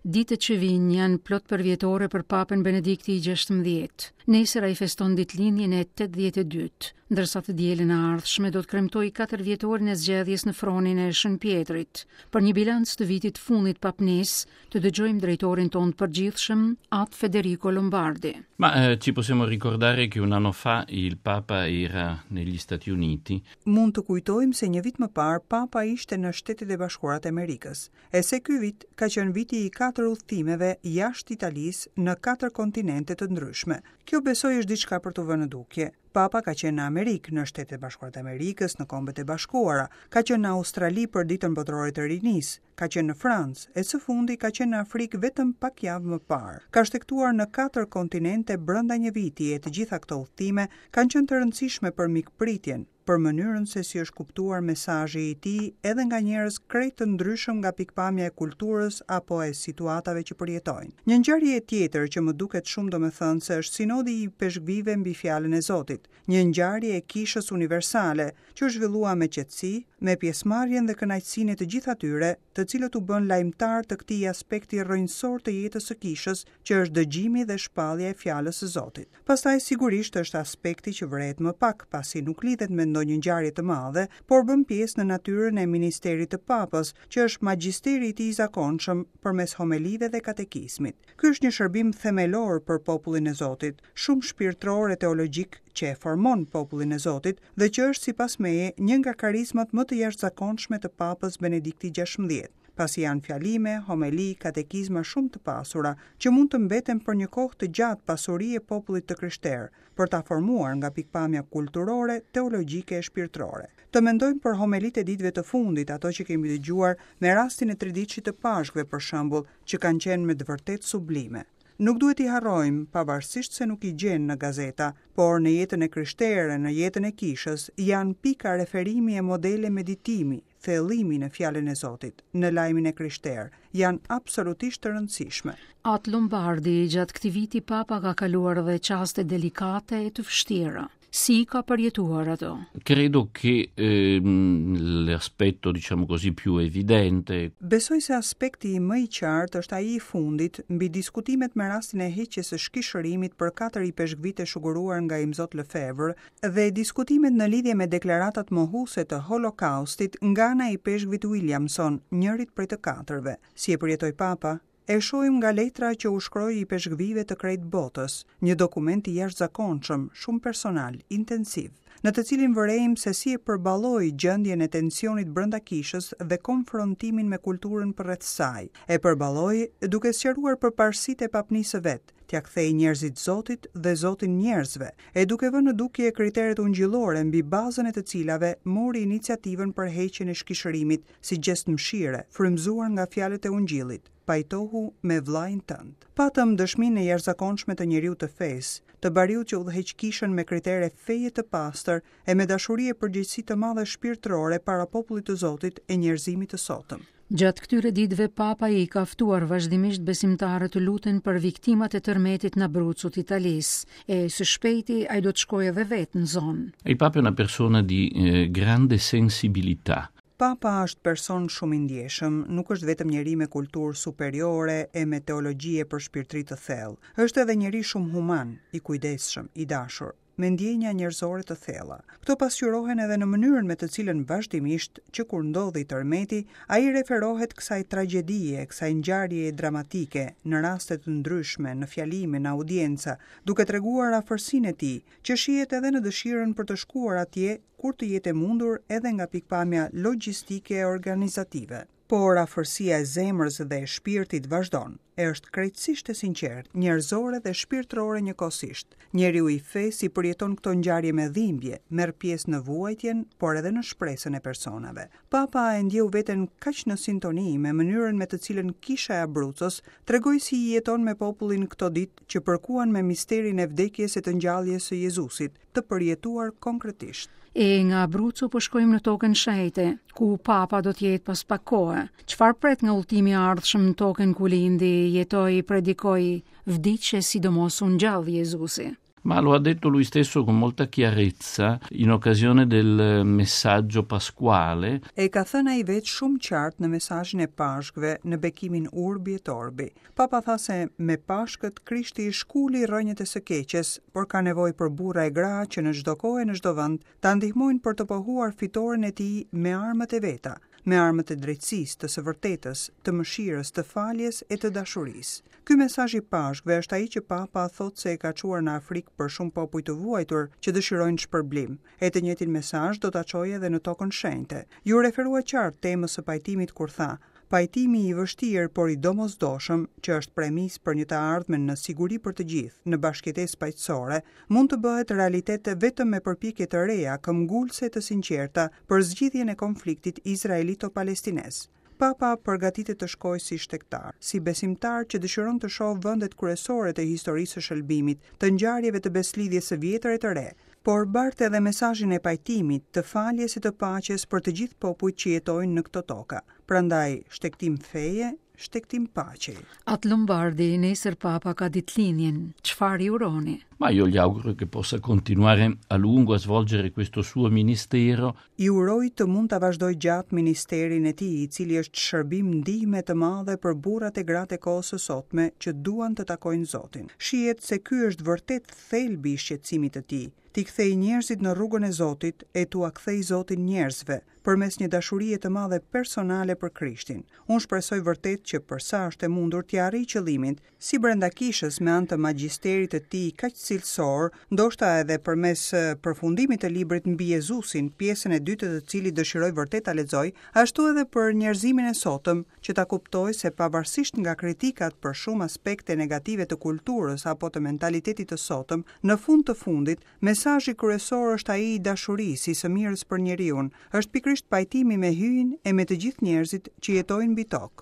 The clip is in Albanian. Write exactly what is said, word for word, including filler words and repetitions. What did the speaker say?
Ditët që vijnë janë plot përvjetore për Papën Benedikti i gjashtëmbëdhjetë. Nesër ai feston ditëlindjen e tetëdhjetë e dytë, ndërsa të dielën e ardhshme do të kremtojë katër vjetorin e zgjedhjes në fronin e Shën Pjetrit. Për një bilanc të vitit fundit papnis, të dëgjojmë drejtorin tonë të përgjithshëm, At Federico Lombardi. Ma eh, ci possiamo ricordare che un anno fa il Papa era negli Stati Uniti. Mund të kujtojmë se një vit më parë Papa ishte në Shtetet e Bashkuara të Amerikës, e se ky vit ka qenë viti i katër udhëtimeve jashtë Italisë në katër kontinente të ndryshme. Kjo besoj është diçka për të vënë në dukje. Papa ka qenë në Amerikë, në Shtetet e Bashkuara të Amerikës, në Kombet e Bashkuara, ka qenë në Australi për Ditën Botërore të Rinisë, ka qenë në Francë, e së fundi ka qenë në Afrikë vetëm pak javë më parë. Ka shtegtuar në katër kontinente brenda një viti e të gjitha këto udhëtime kanë qenë të rëndësishme për mikpritjen, për mënyrën se si është kuptuar mesazhi i tij edhe nga njerëz krejt të ndryshëm nga pikpamja e kulturës apo e situatave që përjetojnë. Një ngjarje tjetër që më duket shumë domethënëse është sinodi i ipeshkvive mbi fjalën e Zotit, një ngjarje e kishës universale që u zhvillua me qetësi, me pjesëmarrjen dhe kënaqësinë e të gjithë atyre, të cilët u bën lajmëtar të këtij aspekti rrënjësor të jetës së kishës, që është dëgjimi dhe shpallja e fjalës së Zotit. Pastaj sigurisht është aspekti që vërehet më pak, pasi nuk lidhet me ndonjë ngjarje të madhe, por bën pjesë në natyrën e ministerit të Papës, që është magjisteri i tij i zakonshëm përmes homelive dhe katekizmit. Ky është një shërbim themelor për popullin e Zotit, shumë shpirtëror e teologjik që e formon popullin e Zotit dhe që është sipas meje një nga karizmat më të jashtëzakonshme të Papës Benedikti gjashtëmbëdhjetë, pasi janë fjalime, homeli, katekizma shumë të pasura që mund të mbeten për një kohë të gjatë pasuri e popullit të krishterë, për ta formuar nga pikpamja kulturore, teologjike e shpirtërore. Të mendojmë për homelitë e ditëve të fundit, ato që kemi dëgjuar me rastin e triditshit të Pashkëve për shembull, që kanë qenë me të vërtetë sublime. Nuk duhet i harrojmë, pavarësisht se nuk i gjen në gazeta, por në jetën e krishterë, në jetën e kishës, janë pika referimi e modele meditimi, thellimi në fjalën e Zotit, në lajmin e krishterë, janë absolutisht të rëndësishme. At Lombardi, gjatë këtij viti Papa ka kaluar edhe çaste delikate e të vështira. Si ka përjetuar ato? Credo che, ehm, l'aspetto, diciamo così, più evidente. Besoj se aspekti më i qartë është ai i fundit mbi diskutimet me rastin e heqjes së shkishërimit për katër ipeshkvit e shuguruar nga Imzot Lefebvre dhe diskutimet në lidhje me deklaratat mohuese të Holokaustit nga ana e ipeshkvit Williamson, njërit prej të katërve. Si e përjetoi Papa? E shohim nga letra që u shkroi ipeshkvive të krejt botës, një dokument i jashtëzakonshëm, shumë personal, intensiv, në të cilin vërejmë se si e përballoi gjendjen e tensionit brenda kishës dhe konfrontimin me kulturën përreth saj. E përballoi duke sqaruar përparësitë e papnisë së vet, t'ia kthej njerëzit Zotit dhe Zotin njerëzve, e duke vënë në dukje kriteret ungjillore mbi bazën e të cilave mori iniciativën për heqjen e shkishërimit si gjest mëshire, frymëzuar nga fjalët e ungjillit: pajtohu me vllajin tënd. Patëm dëshminë e jashtëzakonshme të njeriu të fesë, të bariut që udhëheq kishën me kritere feje të pastër e me dashuri e përgjegjësi të madhe shpirtërore para popullit të Zotit e njerëzimit të sotëm. Gjatë këtyre ditëve Papa i ka ftuar vazhdimisht besimtarët të luten për viktimat e tërmetit në Abruzzo të Italisë, e së shpejti ai do të shkojë edhe vetë në zonë. Il Papa è una persona di, eh, grande sensibilità. Papa është person shumë i ndjeshëm, nuk është vetëm njeri me kulturë superiore e me teologji e për shpirtri të thellë. Është edhe njeri shumë human, i kujdesshëm, i dashur, me ndjenja njerëzore të thella. Këto pasqyrohen edhe në mënyrën me të cilën vazhdimisht, që kur ndodhi tërmeti, ai referohet kësaj tragjedie, kësaj ngjarjeje dramatike, në raste të ndryshme, në fjalime, në audienca, duke treguar afërsinë e tij, që shihet edhe në dëshirën për të shkuar atje kur të jetë e mundur edhe nga pikpamja logjistike e organizative. Por afërsia e zemrës dhe e shpirtit vazhdon, e është krejtësisht e sinqertë, njerëzore dhe shpirtërore njëkohësisht. Njeriu i fesë i përjeton këto ngjarje me dhimbje, merr pjesë në vuajtjen, por edhe në shpresën e personave. Papa e ndjeu veten kaq në sintoni me mënyrën me të cilën kisha e Abruzzos tregoi si i jeton me popullin këto ditë që përkuan me misterin e vdekjes e të ngjalljes së Jezusit, të përjetuar konkretisht. E nga Abruzzo po shkojmë në tokën shenjte, ku Papa do të jetë pas pak kohe. Çfarë pret nga udhëtimi i ardhshëm në tokën ku lindi, jetoi, predikoi, vdiq e sidomos u ngjall Jezusi? Ma lo ha detto lui stesso con molta chiarezza in occasione del messaggio pasquale. E ka thënë ai vetë shumë qartë në mesazhin e Pashkëve në bekimin Urbi et Orbi. Papa tha se me Pashkët Krishti i shkuli rrënjët e së keqes, por ka nevojë për burra e gra që në çdo kohë e në çdo vend ta ndihmojnë për të pohuar fitoren e tij me armët e veta, me armët e drejtësisë, të së vërtetës, të mëshirës, të faljes e të dashurisë. Ky mesazh i Pashkëve është ai që Papa thotë se e ka çuar në Afrikë për shumë popuj të vuajtur që dëshirojnë shpërblim. E të njëjtin mesazh do ta çojë edhe në tokën shenjte. Ju referua qartë temës së pajtimit kur tha: Pajtimi i vështirë, por i domosdoshëm, që është premisë për një të ardhme në siguri për të gjithë, në bashkëjetesë paqësore, mund të bëhet realitet vetëm me përpjekje të reja, këmbgulëse të sinqerta për zgjidhjen e konfliktit izraelito-palestinez. Papa përgatitet të shkojë si shtegtar, si besimtar që dëshiron të shohë vendet kryesore të historisë së shëlbimit, të ngjarjeve të beslidhjes së vjetër e të re, por bart edhe mesazhin e pajtimit, të faljes e të paqes për të gjithë popujt që jetojnë në këto toka. Prandaj, shtegtim feje, shtegtim paqe. Atë Lombardi, nesër Papa ka ditëlindjen. Çfarë i uroni? Ma io gli auguro che possa continuare a lungo a svolgere questo suo ministero. I uroj të mund ta vazhdojë gjatë ministerin e tij, i cili është shërbim ndihme të madhe për burrat e gratë e kohës së sotme që duan të takojnë Zotin. Shihet se ky është vërtet thelbi i shqetësimit të tij, t'i kthej njerëzit në rrugën e Zotit e t'ua kthej Zotin njerëzve përmes një dashurie të madhe personale për Krishtin. Unë shpresoj vërtet që për sa është e mundur t'i arrij qëllimin, si brenda kishës me anë të magjisterit të tij kaq cilësor, ndoshta edhe përmes përfundimit të librit mbi Jezusin, pjesën e dytë të cilit dëshiroj vërtet ta lexoj, ashtu edhe për njerëzimin e sotëm, që ta kuptoj se pavarësisht nga kritikat për shumë aspekte negative të kulturës apo të mentalitetit të sotëm, në fund të fundit, mesazhi kryesor është ai i dashurisë, i së mirës për njeriun, është pikërisht pajtimi me Hyjin e me të gjithë njerëzit që jetojnë mbi tokë.